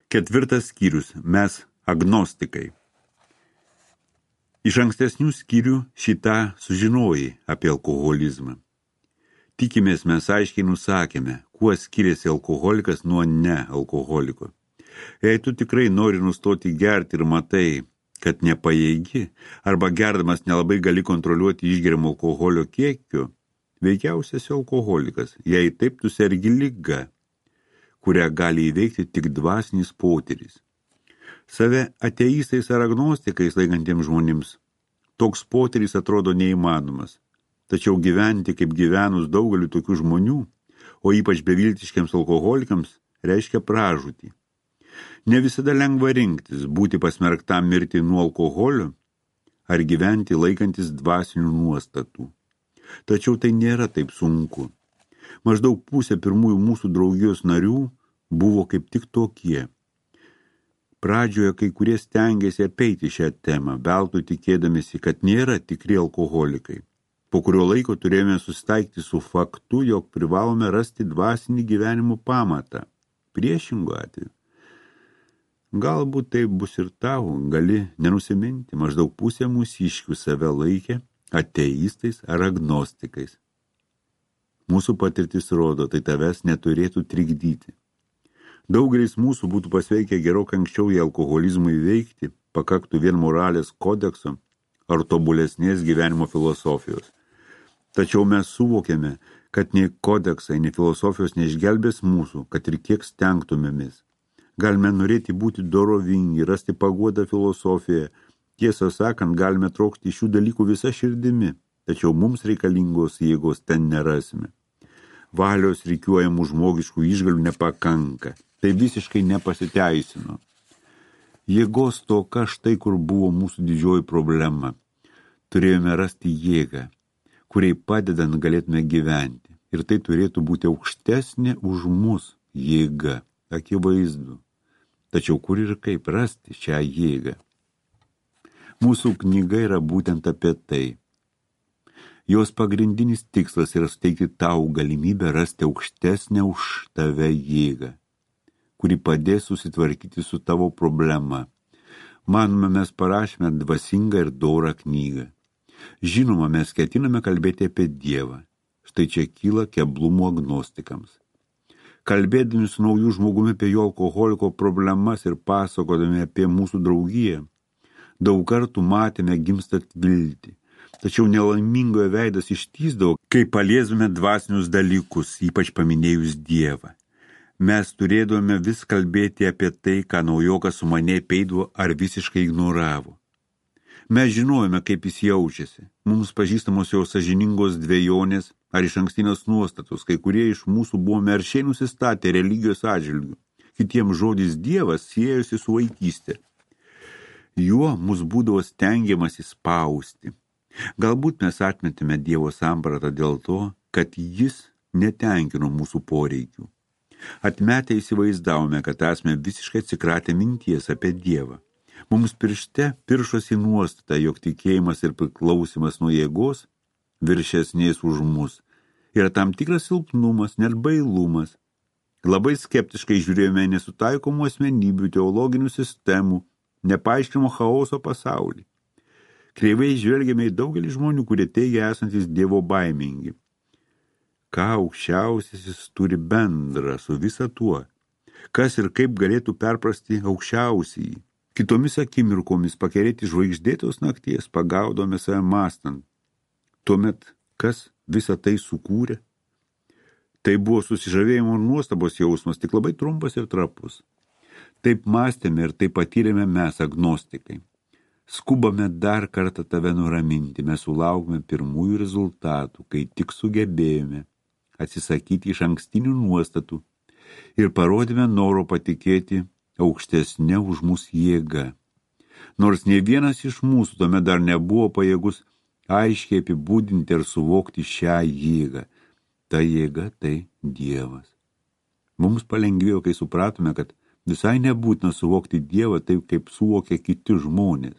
4 skyrius. Mes agnostikai. Iš ankstesnių skyrių šitą sužinojai apie alkoholizmą. Tikimės mes aiškiai nusakėme, kuo skiriasi alkoholikas nuo nealkoholiko. Jei tu tikrai nori nustoti gerti ir matai, kad nepajėgi, arba gerdamas nelabai gali kontroliuoti išgeriamo alkoholio kiekio, veikiausias alkoholikas, jei taip tu sergi liga, kurią gali įveikti tik dvasinis potyris. Save ateistais ar agnostikais laikantiems žmonėms toks potyris atrodo neįmanomas, tačiau gyventi kaip gyvenus daugeliu tokių žmonių, o ypač beviltiškiams alkoholikams, reiškia pražūtį. Ne visada lengva rinktis, būti pasmerktam mirti nuo alkoholio ar gyventi laikantis dvasinių nuostatų. Tačiau tai nėra taip sunku. Maždaug pusė pirmųjų mūsų draugijos narių buvo kaip tik tokie. Pradžioje kai kurie stengėsi apeiti šią temą, veltui tikėdamėsi, kad nėra tikri alkoholikai. Po kurio laiko turėjome susitaikyti su faktu, jog privalome rasti dvasinį gyvenimo pamatą. Priešingu atveju. Galbūt tai bus ir tau, gali nenusiminti, maždaug pusė mūsiškių save laikė ateistais ar agnostikais. Mūsų patirtis rodo, tai tavęs neturėtų trikdyti. Daugelis mūsų būtų pasveikę gerokai anksčiau į alkoholizmą įveikti, pakaktų vien moralės kodekso ar tobulesnės gyvenimo filosofijos. Tačiau mes suvokėme, kad nei kodeksai, nei filosofijos neišgelbės mūsų, kad ir kiek stengtumėmės. Galime norėti būti dorovingi, rasti paguodą filosofijoje. Tiesą sakant, galime trokšti šių dalykų visa širdimi, tačiau mums reikalingos jėgos ten nerasime. Valios rikiuojamų žmogiškų išgalių nepakanka. Tai visiškai nepasiteisino. Jėgos toka štai kur buvo mūsų didžioji problema. Turėjome rasti jėgą, kuriai padedant galėtume gyventi. Ir tai turėtų būti aukštesnė už mus jėga, akivaizdu. Tačiau kur ir kaip rasti šią jėgą? Mūsų knyga yra būtent apie tai. Jos pagrindinis tikslas yra suteikti tau galimybę rasti aukštesnę už tave jėgą, kuri padės susitvarkyti su tavo problema. Manome, mes parašėme dvasingą ir dorą knygą. Žinoma, mes ketiname kalbėti apie Dievą. Štai čia kyla keblumų agnostikams. Kalbėdami su naujų žmogumi apie jo alkoholiko problemas ir pasakodami apie mūsų draugiją, daug kartų matėme gimstant viltį. Tačiau nelaimingojo veidas ištįsdavo, kai paliesdame dvasinius dalykus, ypač paminėjus Dievą. Mes turėdavome vis kalbėti apie tai, ką naujokas su mane peidavo ar visiškai ignoravo. Mes žinojome, kaip jis jaučiasi. Mums pažįstamos jo sąžiningos dvejonės ar iš ankstinės nuostatos, kai kurie iš mūsų buvome aršiai nusistatę religijos atžvilgių. Kitiems žodis Dievas siejosi su vaikystė. Juo mus būdavo stengiamasi spausti. Galbūt mes atmetėme Dievo sampratą dėl to, kad jis netenkino mūsų poreikių. Atmetę įsivaizdavome, kad esame visiškai atsikratę minties apie Dievą. Mums piršte piršosi nuostata, jog tikėjimas ir priklausimas nuo jėgos viršesnės už mus yra tam tikras silpnumas, net bailumas. Labai skeptiškai žiūrėjome nesutaikomų asmenybių, teologinių sistemų, nepaaiškinamo chaoso pasaulį. Kreivai žvelgėme į daugelį žmonių, kurie teigia esantis Dievo baimingi. Ką aukščiausiasis turi bendra su visa tuo? Kas ir kaip galėtų perprasti aukščiausiai? Kitomis akimirkomis pakerėti žvaigždėtos nakties pagaudome save mąstant. Tuomet, kas visą tai sukūrė? Tai buvo susižavėjimo ir nuostabos jausmas, tik labai trumpas ir trapus. Taip mąstėme ir taip patyrėme mes, agnostikai. Skubame dar kartą tave nuraminti, mes sulaukime pirmųjų rezultatų, kai tik sugebėjome atsisakyti iš ankstinių nuostatų ir parodėme noro patikėti aukštesnė už mūsų jėga. Nors ne vienas iš mūsų tuomet dar nebuvo pajėgus aiškiai apibūdinti ir suvokti šią jėgą. Ta jėga tai Dievas. Mums palengvėjo, kai supratome, kad visai nebūtina suvokti Dievą taip, kaip suvokia kiti žmonės.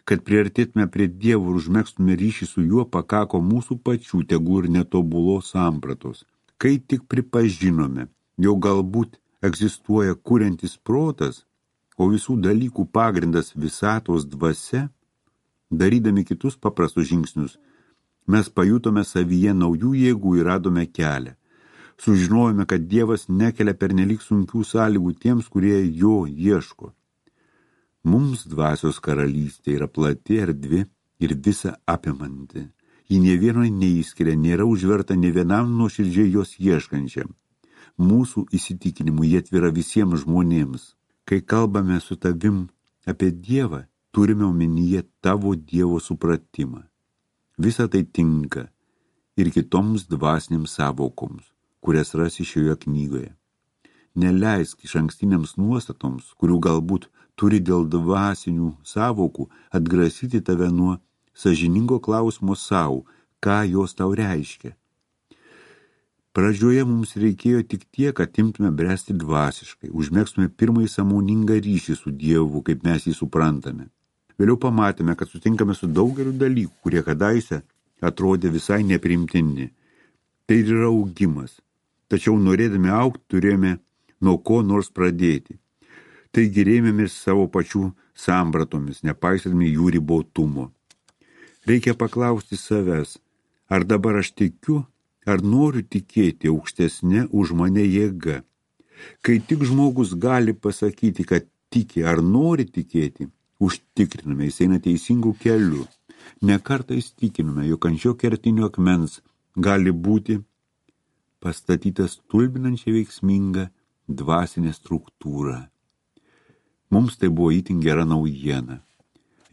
Kad priartėtume prie Dievo ir užmegztume ryšį su juo, pakako mūsų pačių tegų ir netobulos sampratos. Kai tik pripažinome, jau galbūt egzistuoja kuriantis protas, o visų dalykų pagrindas visatos dvasia, darydami kitus paprastus žingsnius, mes pajutome savyje naujų jėgų ir radome kelią. Sužinojome, kad Dievas nekelia pernelyg sunkių sąlygų tiems, kurie jo ieško. Mums dvasios karalystė yra plati erdvi ir visa apimanti. Ji nė vieno neįskiria, nėra užverta nė vienam nuoširdžiai jos ieškančiam. Mūsų įsitikinimu jie atvira visiems žmonėms. Kai kalbame su tavim apie Dievą, turime omenyje tavo Dievo supratimą. Visa tai tinka ir kitoms dvasinėms savokoms, kurias rasi šioje knygoje. Neleisk išankstiniams nuostatoms, kurių galbūt turi dėl dvasinių savokų, atgrasyti tave nuo sąžiningo klausimo sau, ką jos tau reiškia. Pradžioje mums reikėjo tik tiek, kad imtume bręsti dvasiškai, užmegstume pirmąjį sąmoningą ryšį su Dievu, kaip mes jį suprantame. Vėliau pamatėme, kad sutinkame su daugeliu dalykų, kurie kadaise atrodė visai nepriimtini. Tai yra augimas. Tačiau norėdami augti, turėjome nuo ko nors pradėti. Taigi rėmėmės savo pačių sampratomis, nepaisydami jų ribotumo. Reikia paklausti savęs, ar dabar aš tikiu, ar noriu tikėti aukštesnė už mane jėga. Kai tik žmogus gali pasakyti, kad tiki ar nori tikėti, užtikriname, jis eina teisingų kelių. Ne kartą įstikiname, jog ant šio kertinio akmens gali būti pastatytas stulbinančiai veiksminga dvasinė struktūra. Mums tai buvo itin gera naujiena.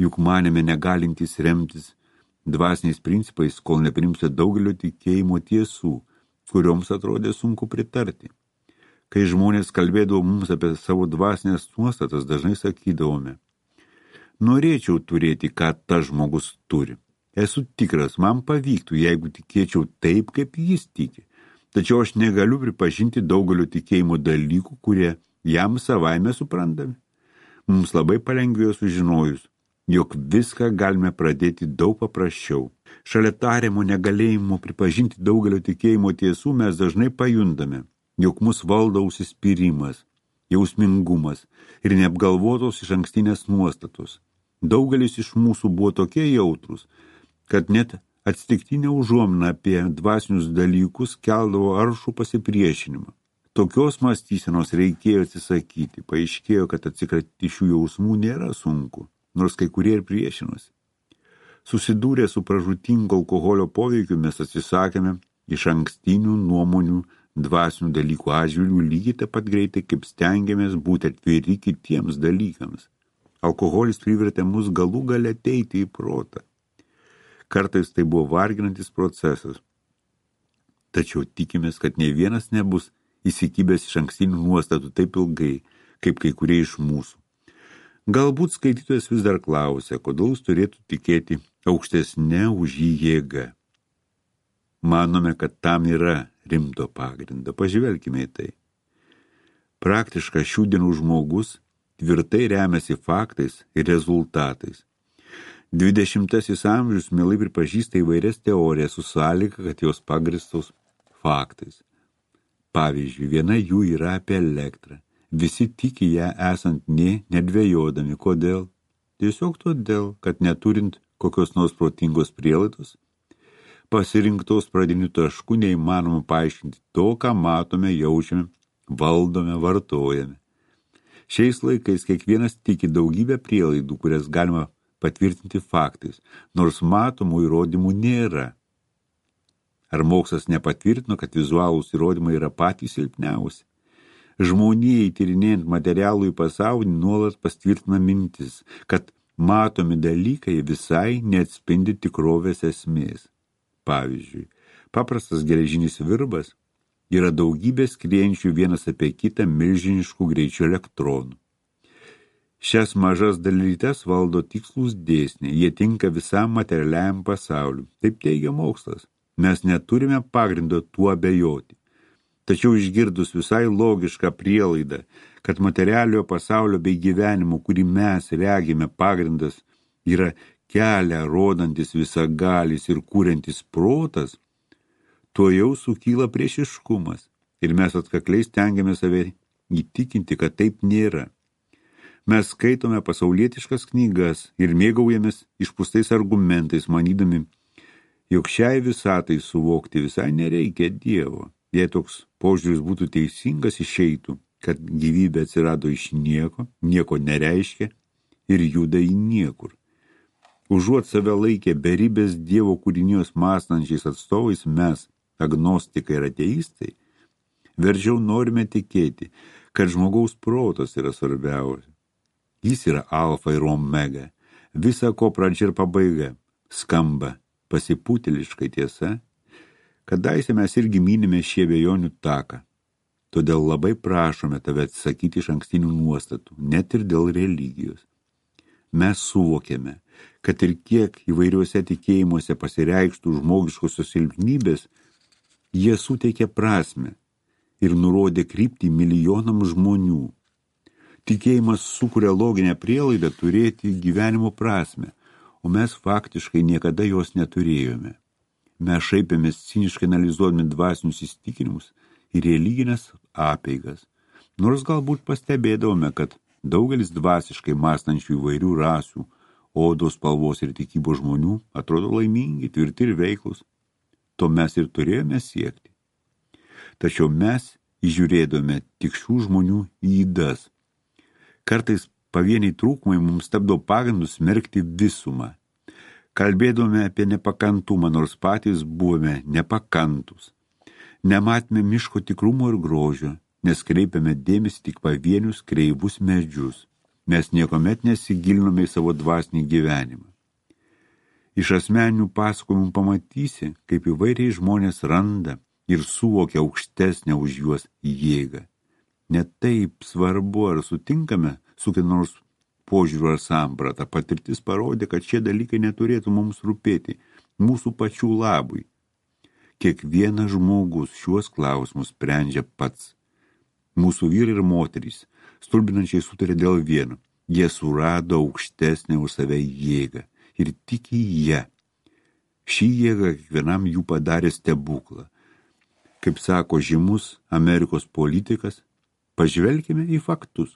Juk manėme negalintys remtis dvasiniais principais, kol neprimsite daugelio tikėjimo tiesų, kurioms atrodė sunku pritarti. Kai žmonės kalbėdavo mums apie savo dvasinės nuostatas, dažnai sakydavome: norėčiau turėti, ką tas žmogus turi. Esu tikras, man pavyktų, jeigu tikėčiau taip, kaip jis tiki. Tačiau aš negaliu pripažinti daugelio tikėjimo dalykų, kurie jam savaime suprantami. Mums labai palengvėjo sužinojus, jog viską galime pradėti daug paprasčiau. Šalia tariamo negalėjimo pripažinti daugelio tikėjimo tiesų mes dažnai pajundame, jog mus valdo užsispyrimas, jausmingumas ir neapgalvotos išankstinės nuostatos. Daugelis iš mūsų buvo tokie jautrūs, kad net atsitiktinė užuomina apie dvasinius dalykus keldavo aršų pasipriešinimą. Tokios mąstysenos reikėjo atsisakyti. Paaiškėjo, kad atsikratyti šių jausmų nėra sunku, nors kai kurie ir priešinosi. Susidūrę su pražūtingo alkoholio poveikiu mes atsisakėme išankstinių nuomonių dvasinių dalykų atžvilgių lygiai taip pat greitai, kaip stengiamės būti atviri kitiems dalykams. Alkoholis privertė mus galų gale ateiti į protą. Kartais tai buvo varginantis procesas. Tačiau tikimės, kad nei vienas nebus įsikibęs išankstinių nuostatų taip ilgai, kaip kai kurie iš mūsų. Galbūt skaitytojas vis dar klausia, kodėl jis turėtų tikėti aukštesnė už jį jėga. Manome, kad tam yra rimto pagrindo. Pažvelkime į tai. Praktiškas šių dienų žmogus tvirtai remiasi faktais ir rezultatais. 20 amžius mielai pripažįsta įvairias teorijas su sąlyga, kad jos pagristos faktais. Pavyzdžiui, viena jų yra apie elektrą. Visi tiki ją esant nedvejodami. Kodėl? Tiesiog todėl, kad neturint kokios nors protingos prielaidos, pasirinktos pradinių taškų neįmanoma paaiškinti to, ką matome, jaučiame, valdome, vartojame. Šiais laikais kiekvienas tiki daugybę prielaidų, kurias galima patvirtinti faktais, nors matomų įrodymų nėra. Ar mokslas nepatvirtino, kad vizualūs įrodymai yra patys silpniausi? Žmonijai tyrinėjant materialų į pasaulį nuolat pastvirtina mintis, kad matomi dalykai visai neatspindi tikrovės esmės. Pavyzdžiui, paprastas geležinis virbas yra daugybė skriejančių vienas apie kitą milžiniškų greičių elektronų. Šias mažas dalelytes valdo tikslūs dėsniai, jie tinka visam materialiajam pasauliu. Taip teigia mokslas. Mes neturime pagrindo tuo abejoti. Tačiau išgirdus visai logišką prielaidą, kad materialiojo pasaulio bei gyvenimo, kurį mes regime pagrindas, yra kelią rodantis visagalis ir kuriantis protas, tuo jau sukyla priešiškumas ir mes atkakliai stengiame save įtikinti, kad taip nėra. Mes skaitome pasaulietiškas knygas ir mėgaujamės išpūstais argumentais, manydami, jog šiai visatai suvokti visai nereikia Dievo. Jei toks požiūris būtų teisingas, išeitų, kad gyvybė atsirado iš nieko, nieko nereiškia ir juda į niekur. Užuot save laikę beribės Dievo kūrinijos mąstančiais atstovais, mes, agnostikai ir ateistai, veržiau norime tikėti, kad žmogaus protas yra svarbiausia. Jis yra alfa ir omega, visa ko pradžia ir pabaiga. Skamba pasipūtėliškai tiesa. Kadaise mes irgi minime šį abejonių taką. Todėl labai prašome tave atsisakyti iš ankstinių nuostatų, net ir dėl religijos. Mes suvokėme, kad ir kiek įvairiuose tikėjimuose pasireikštų žmogiškosios silpnybės, jie suteikė prasmę ir nurodė kryptį milijonams žmonių. Tikėjimas sukuria loginę prielaidą turėti gyvenimo prasmę, o mes faktiškai niekada jos neturėjome. Mes šaipėmės ciniškai analizuodami dvasinius įsitikinimus ir religinės apeigas, nors galbūt pastebėdavome, kad daugelis dvasiškai mąstančių įvairių rasių, odos spalvos ir tikybos žmonių atrodo laimingi, tvirti ir veiklus. To mes ir turėjome siekti. Tačiau mes įžiūrėdome tik šių žmonių ydas. Kartais pavieniai trūkumai mums tapdavo pagrindu smerkti visumą. Kalbėdome apie nepakantumą, nors patys buvome nepakantus. Nematėme miško tikrumo ir grožio, nes kreipiame dėmesį tik pavienius kreivus medžius. Mes niekuomet nesigilinome į savo dvasinį gyvenimą. Iš asmeninių pasakojimų pamatysi, kaip įvairiai žmonės randa ir suvokia aukštesnę už juos jėgą. Net taip svarbu, ar sutinkame su kiek nors požiūriu ar samprata. Patirtis parodė, kad šie dalykai neturėtų mums rūpėti mūsų pačių labui. Kiekvienas žmogus šiuos klausimus sprendžia pats. Mūsų vyrai ir moterys stulbinančiai sutarė dėl vieno. Jie surado aukštesnę už save jėgą ir tik į ją. Ši jėga kiekvienam jų padarė stebuklą. Kaip sako žymus Amerikos politikas, pažvelkime į faktus.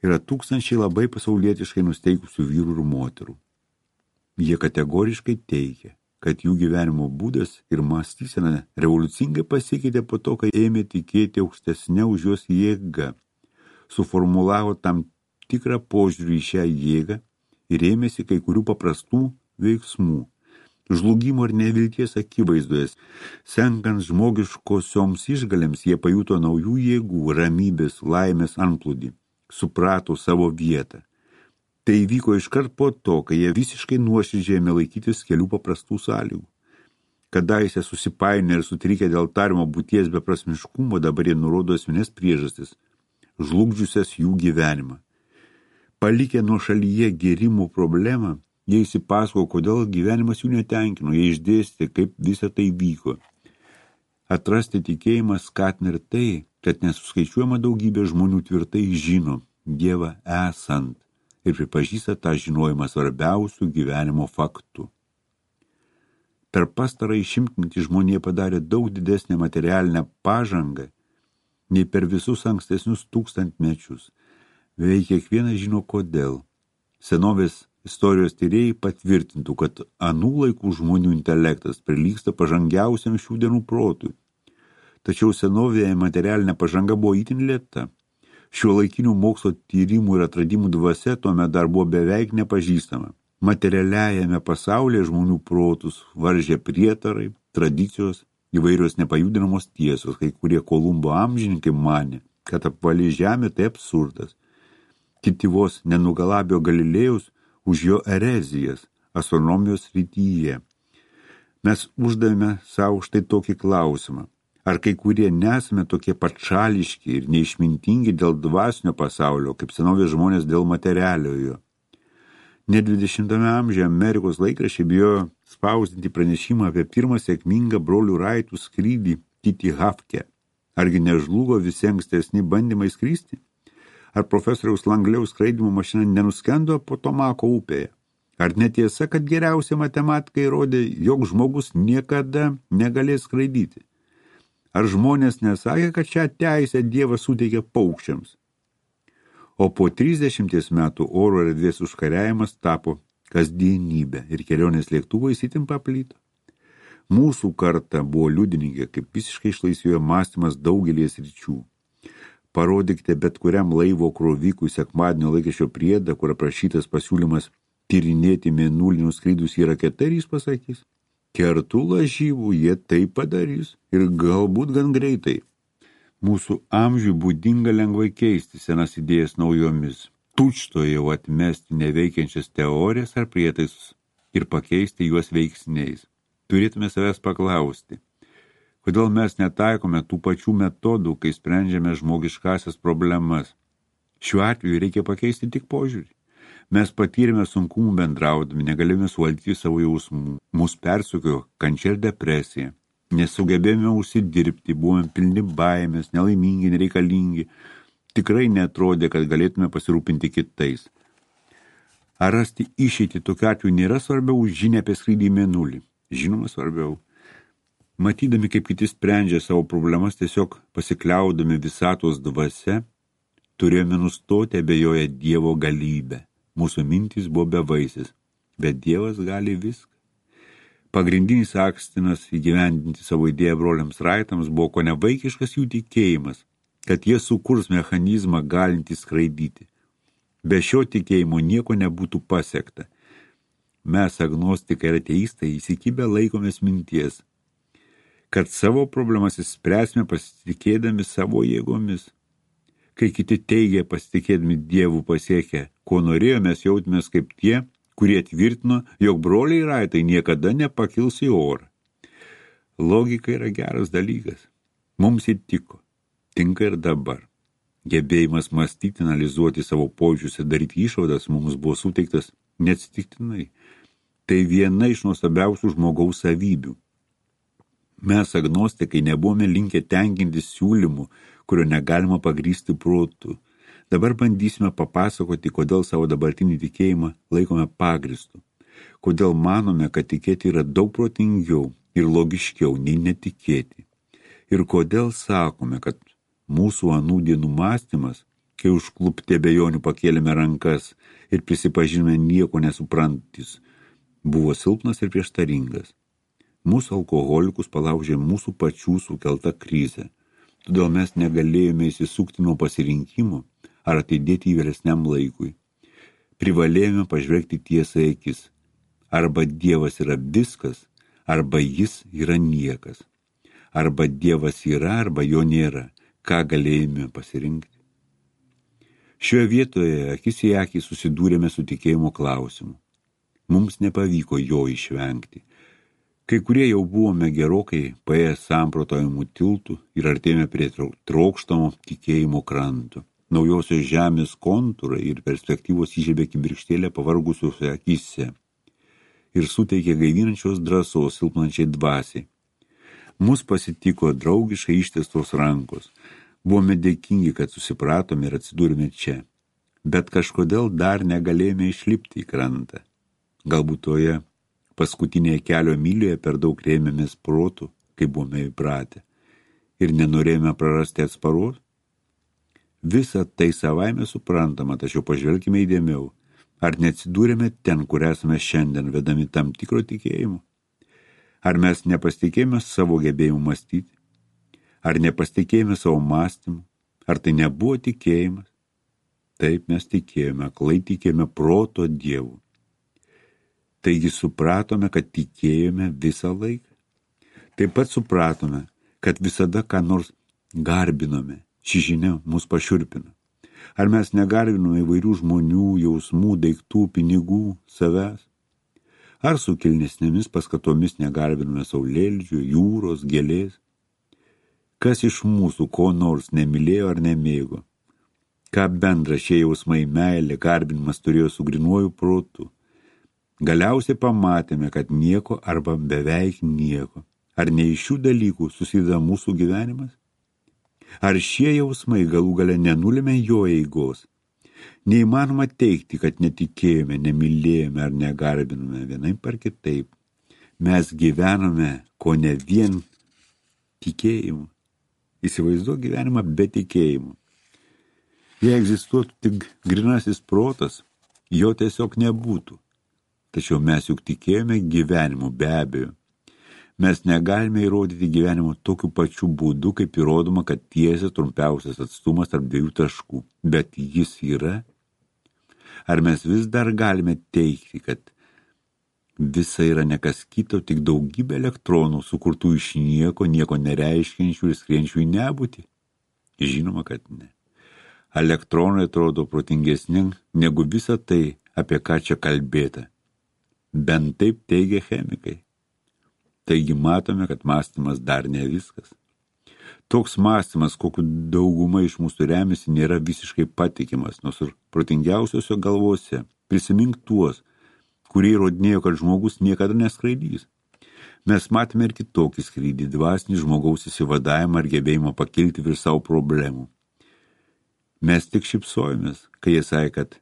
Yra tūkstančiai labai pasaulietiškai nusteikusių vyrų ir moterų. Jie kategoriškai teigia, kad jų gyvenimo būdas ir mąstysena revoliucingai pasikeitė po to, kai ėmė tikėti aukštesnė už juos jėga, suformulavo tam tikrą požiūrį į šią jėgą ir ėmėsi kai kurių paprastų veiksmų. Žlugimo ir nevilties akivaizdoje, senkant žmogiškosioms išgalėms, jie pajuto naujų jėgų, ramybės, laimės antplūdį, suprato savo vietą. Tai įvyko iškart po to, kai jie visiškai nuoširdžiai ėmė laikytis kelių paprastų sąlygų. Kadaise susipainę ir sutrikę dėl tariamo būties beprasmiškumo, dabar jie nurodo esminės priežastis, žlugdžiusias jų gyvenimą. Palikę nuošalyje gėrimų problemą, jie įsipasako, kodėl gyvenimas jų netenkino, jie išdėstė, kaip visa tai vyko. Atrasti tikėjimą skatina ir tai, kad nesuskaičiuojama daugybė žmonių tvirtai žino Dievą esant ir pripažįsta tą žinojimą svarbiausių gyvenimo faktų. Per pastarąjį šimtmetį žmonija padarė daug didesnę materialinę pažangą nei per visus ankstesnius tūkstantmečius. Beveik kiekvienas žino kodėl. Senovės istorijos tyrėjai patvirtintų, kad anų laikų žmonių intelektas prilygsta pažangiausiam šių dienų protui. Tačiau senovėje materialinė pažanga buvo itin lėta. Šiuolaikinių mokslo tyrimų ir atradimų dvasia tuomet dar buvo beveik nepažįstama. Materialiajame pasaulyje žmonių protus varžė prietarai, tradicijos, įvairios nepajudinamos tiesos, kai kurie Kolumbo amžininkai manė, kad apvali žemė tai absurdas. Kiti vos nenugalabio Galilėjaus už jo erezijas astronomijos srityje. Mes uždavėme savo štai tokį klausimą. Ar kai kurie nesame tokie patšališki ir neišmintingi dėl dvasinio pasaulio, kaip senovės žmonės dėl materialiojo? Net 20 amžiuje Amerikos laikraščiai bijojo spausdinti pranešimą apie pirmą sėkmingą brolių Raitų skrydį Titi Hafke. Argi nežlugo visi ankstesni bandymai skristi? Ar profesoriaus Langliaus skraidymo mašina nenuskendo Potomako upėje? Ar netiesa, kad geriausia matematikai rodė, jog žmogus niekada negalės skraidyti? Ar žmonės nesakė, kad šią teisę Dievas suteikė paukščiams? O po 30 metų oro erdvės užkariavimas tapo kasdienybė ir kelionės lėktuvais itin paplyto. Mūsų karta buvo liudininkė, kaip visiškai išlaisvėjo mąstymas daugelį sričių. Parodykite bet kuriam laivo krovikui sekmadienio laikraščio priedą, kur aprašytas pasiūlymas tyrinėti mėnulinius skrydus į raketą, ir jis pasakys: kertų lažybų jie tai padarys ir galbūt gan greitai. Mūsų amžiui būdinga lengvai keisti senas idėjas naujomis, tučtuojau atmesti neveikiančias teorijas ar prietaisus ir pakeisti juos veiksniais. Turėtume savęs paklausti, kodėl mes netaikome tų pačių metodų, kai sprendžiame žmogiškasias problemas. Šiuo atveju reikia pakeisti tik požiūrį. Mes patyrėme sunkumų bendraudami, negalėjome suvaldyti savo jausmų. Mus persukiojo kančia ir depresija. Nesugebėjome užsidirbti, buvome pilni baimės, nelaimingi, nereikalingi. Tikrai neatrodė, kad galėtume pasirūpinti kitais. Ar rasti išeitį tokiu atveju nėra svarbiau už žinią apie skrydį į mėnulį? Žinoma, svarbiau. Matydami, kaip kiti sprendžia savo problemas, tiesiog pasikliaudami visatos dvasia, turėjome nustoti abejoję Dievo galybę. Mūsų mintys buvo bevaisės, bet Dievas gali viską. Pagrindinis akstinas įgyvendinti savo idėją broliams Raitams buvo kone vaikiškas jų tikėjimas, kad jie sukurs mechanizmą galintį skraidyti. Be šio tikėjimo nieko nebūtų pasiekta. Mes, agnostikai ir ateistai, įsikibę laikomės minties, kad savo problemas išspręsime pasitikėdami savo jėgomis. Kai kiti teigia pasitikėdami Dievu pasiekę, ko norėjo, mes jautėmės kaip tie, kurie tvirtino, jog broliai Raitai niekada nepakils į orą. Logika yra geras dalykas. Mums įtiko. Tinka ir dabar. Gebėjimas mąstyti, analizuoti savo požiūrius ir daryti išvadas mums buvo suteiktas neatsitiktinai. Tai viena iš nuostabiausių žmogaus savybių. Mes, agnostikai, nebuvome linkę tenkintis siūlymų, kurio negalima pagrįsti protu. Dabar bandysime papasakoti, kodėl savo dabartinį tikėjimą laikome pagristu. Kodėl manome, kad tikėti yra daug protingiau ir logiškiau nei netikėti. Ir kodėl sakome, kad mūsų anų dienų mąstymas, kai užklupti abejonių pakėlėme rankas ir prisipažinome nieko nesuprantis, buvo silpnas ir prieštaringas. Mūsų alkoholikus palaužė mūsų pačių sukelta krizė. Todėl mes negalėjome įsisukti nuo pasirinkimo ar atidėti į vėlesniam laikui. Privalėjome pažvelgti tiesai akis. Arba Dievas yra viskas, arba jis yra niekas. Arba Dievas yra, arba jo nėra. Ką galėjome pasirinkti? Šioje vietoje akis į akį susidūrėme su tikėjimo klausimu. Mums nepavyko jo išvengti. Kai kurie jau buvome gerokai paėję samprotavimų tiltų ir artėjome prie trokštamo tikėjimo kranto. Naujosios žemės kontūrai ir perspektyvos įžiebė kibirkštėlę pavargusiuose akyse ir suteikė gaivinančios drąsos silpnančiai dvasiai. Mus pasitiko draugiškai ištiestos rankos. Buvome dėkingi, kad susipratome ir atsidūrėme čia. Bet kažkodėl dar negalėjome išlipti į krantą. Galbūt toje paskutinėje kelio mylėje per daug rėmėmės protų, kaip buvome įpratę, ir nenorėjome prarasti atsparos. Visa tai savaime suprantama, tačiau pažvelkime įdėmiau. Ar neatsidūrėme ten, kur esame šiandien, vedami tam tikro tikėjimo? Ar mes nepasitikėjome savo gebėjimu mąstyti? Ar nepasitikėjome savo mąstymu? Ar tai nebuvo tikėjimas? Taip mes tikėjome, aklai tikėjome proto Dievu. Taigi supratome, kad tikėjome visą laiką. Taip pat supratome, kad visada ką nors garbinome. Ši žinia mus pašiurpino. Ar mes negarbinome įvairių žmonių, jausmų, daiktų, pinigų, savęs? Ar su kilnesnėmis paskatomis negarbinome saulėlydžio, jūros, gėlės? Kas iš mūsų ko nors nemylėjo ar nemėgo? Ką bendra šie jausmai, meilė, garbinimas turėjo su grynuoju protu? Galiausiai pamatėme, kad nieko arba beveik nieko. Ar ne iš šių dalykų susideda mūsų gyvenimas? Ar šie jausmai galų gale nenulėmė jo eigos? Neįmanoma teikti, kad netikėjome, nemylėjome ar negarbinome vienaip ar kitaip. Mes gyvenome ko ne vien tikėjimu, Įsivaizduok gyvenimą be tikėjimo. Jei egzistuotų tik grinasis protas, jo tiesiog nebūtų. Tačiau mes juk tikėjome gyvenimu, be abejo. Mes negalime įrodyti gyvenimo tokiu pačiu būdu, kaip įrodoma, kad tiesia trumpiausias atstumas tarp dviejų taškų. Bet jis yra? Ar mes vis dar galime teigti, kad visa yra nekas kito, tik daugybė elektronų, sukurtų iš nieko nereiškiančių ir skrienčių į nebūtį? Žinoma, kad ne. Elektronai atrodo protingesni negu visa tai, apie ką čia kalbėta. Bent taip teigia chemikai. Taigi matome, kad mąstymas dar ne viskas. Toks mąstymas, kokiu dauguma iš mūsų remiasi, nėra visiškai patikimas, nors ir protingiausiose galvose. Prisimink tuos, kurie įrodinėjo, kad žmogus niekada neskraidys. Mes matėme ir kitokį skrydį, dvasinį žmogaus įsivadavimą ir gebėjimą pakilti virš savo problemų. Mes tik šypsojomės, kai jie sakė, kad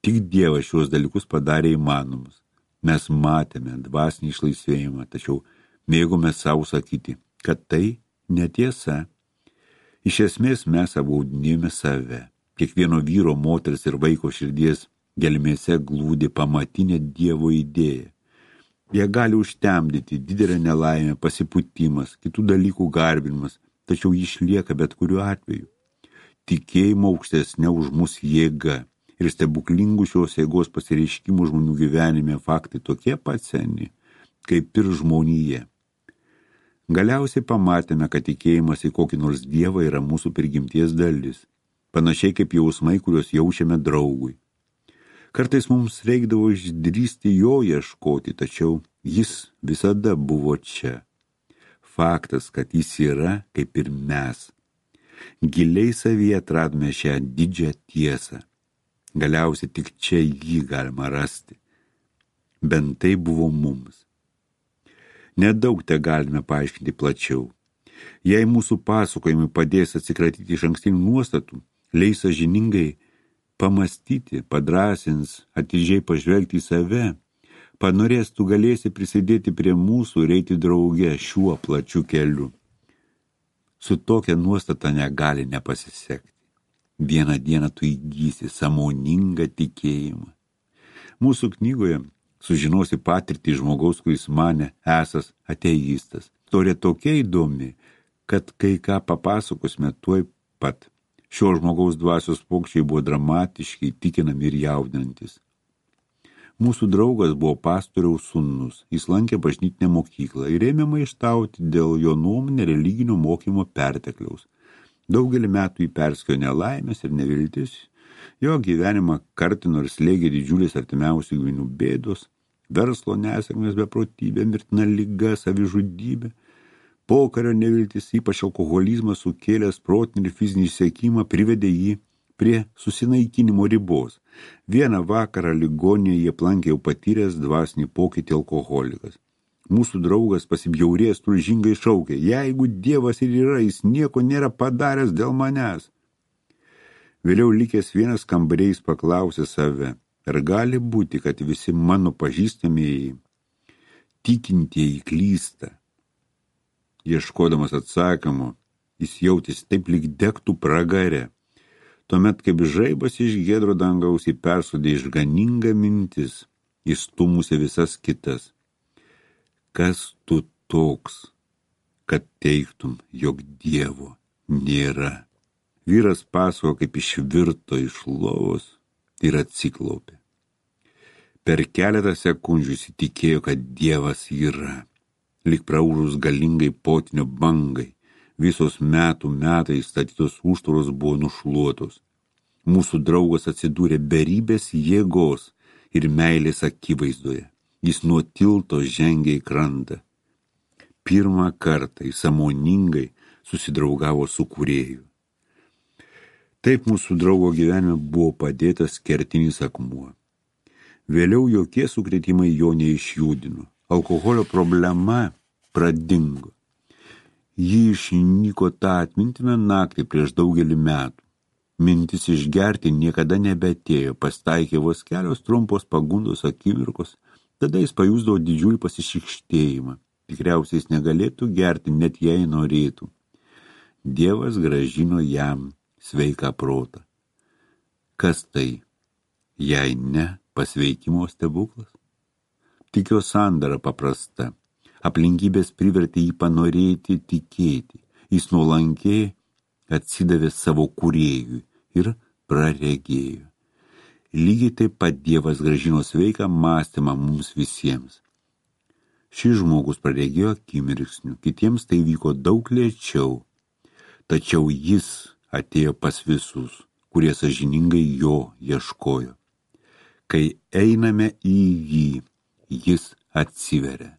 tik Dievas šios dalykus padarė įmanomus. Mes matėme dvasinį išlaisvėjimą, tačiau mėgome savo sakyti, kad tai netiesa. Iš esmės mes apgaudinėjome save. Kiekvieno vyro, moters ir vaiko širdies gelmėse glūdi pamatinė Dievo idėja. Jie gali užtemdyti didelę nelaimę, pasipūtimas, kitų dalykų garbinimas, tačiau jis išlieka bet kuriuo atveju. Tikėjimo aukštesnė už mus jėga ir stebuklingų šios jėgos pasireiškimų žmonių gyvenime faktai tokie pat seni, kaip ir žmonija. Galiausiai pamatėme, kad tikėjimas į kokį nors dievą yra mūsų prigimties dalis, panašiai kaip jausmai, kuriuos jaučiame draugui. Kartais mums reikdavo išdrįsti jo ieškoti, tačiau jis visada buvo čia. Faktas, kad jis yra kaip ir mes. Giliai savyje atradome šią didžią tiesą. Galiausiai tik čia jį galima rasti. Bent tai buvo mums. Nedaug te galime paaiškinti plačiau. Jei mūsų pasakojimai padės atsikratyti išankstinių nuostatų, leis sąžiningai pamastyti, padrąsins, atidžiai pažvelgti į save, panorės tu galėsi prisidėti prie mūsų ir eiti drauge šiuo plačiu keliu. Su tokia nuostata negali nepasisekti. Vieną dieną tu įgysi sąmoningą tikėjimą. Mūsų knygoje sužinosi patirtį žmogaus, kuris mane esas ateistas. Istorija tokia įdomi, kad kai ką papasakosime tuoj pat. Šio žmogaus dvasios pokyčiai buvo dramatiški, įtikinami ir jaudinantis. Mūsų draugas buvo pastoriaus sūnus. Jis lankė bažnytinę mokyklą ir ėmė maištauti dėl jo nuomonę religinio mokymo pertekliaus. Daugelį metų jį persekiojo nelaimės ir neviltis. Jo gyvenimą kartino ir slėgė didžiulės artimiausių giminių bėdos, verslo nesėkmės, beprotybė, mirtina liga, savižudybė. Pokario neviltis, ypač alkoholizmas sukėlęs protinį ir fizinį išsekimą, privedė jį prie susinaikinimo ribos. Vieną vakarą ligoninėje jie aplankė jau patyręs dvasinį pokytį alkoholikas. Mūsų draugas pasibjaurėjęs tulžingai šaukė, jeigu Dievas ir yra, jis nieko nėra padaręs dėl manęs. Vėliau likęs vienas kambariais paklausė save, ar gali būti, kad visi mano pažįstamieji tikintieji klysta. Ieškodamas atsakymo, jis jautėsi taip lyg degtų pragare. Tuomet, kaip žaibas iš giedro dangaus jį persodė išganinga mintis, įstumusi visas kitas. Kas tu toks, kad teigtum, jog Dievo nėra? Vyras pasako, kaip išvirto iš lovos ir atsiklaupė. Per keletą sekundžių įsitikėjo, kad Dievas yra. Lyg praūžus galingai potvinio bangai, visos metai statytos užtvaros buvo nušluotos. Mūsų draugas atsidūrė beribės jėgos ir meilės akivaizdoje. Jis nuo tilto žengė į krantą. Pirmą kartą jis sąmoningai susidraugavo su Kūrėju. Taip mūsų draugo gyvenime buvo padėtas kertinis akmuo. Vėliau jokie sukrėtimai jo neišjudino. Alkoholio problema pradingo. Ji išnyko tą atmintiną naktį prieš daugelį metų. Mintis išgerti niekada nebeatėjo, pasitaikė vos kelios trumpos pagundos akimirkos, tada jis pajusdavo didžiulį pasišikštėjimą. Tikriausiai jis negalėtų gerti, net jei norėtų. Dievas gražino jam sveiką protą. Kas tai, jei ne pasveikimo stebuklas? Tik jo sandara paprasta. Aplinkybės privertė jį panorėti tikėti. Jis nuolankiai atsidavė savo kūrėjui ir praregėjo. Lygiai taip pat Dievas gražino sveiką mąstymą mums visiems. Šis žmogus praregėjo akimirksniu, kitiems tai vyko daug lėčiau. Tačiau jis atėjo pas visus, kurie sąžiningai jo ieškojo. Kai einame į jį, jis atsiveria.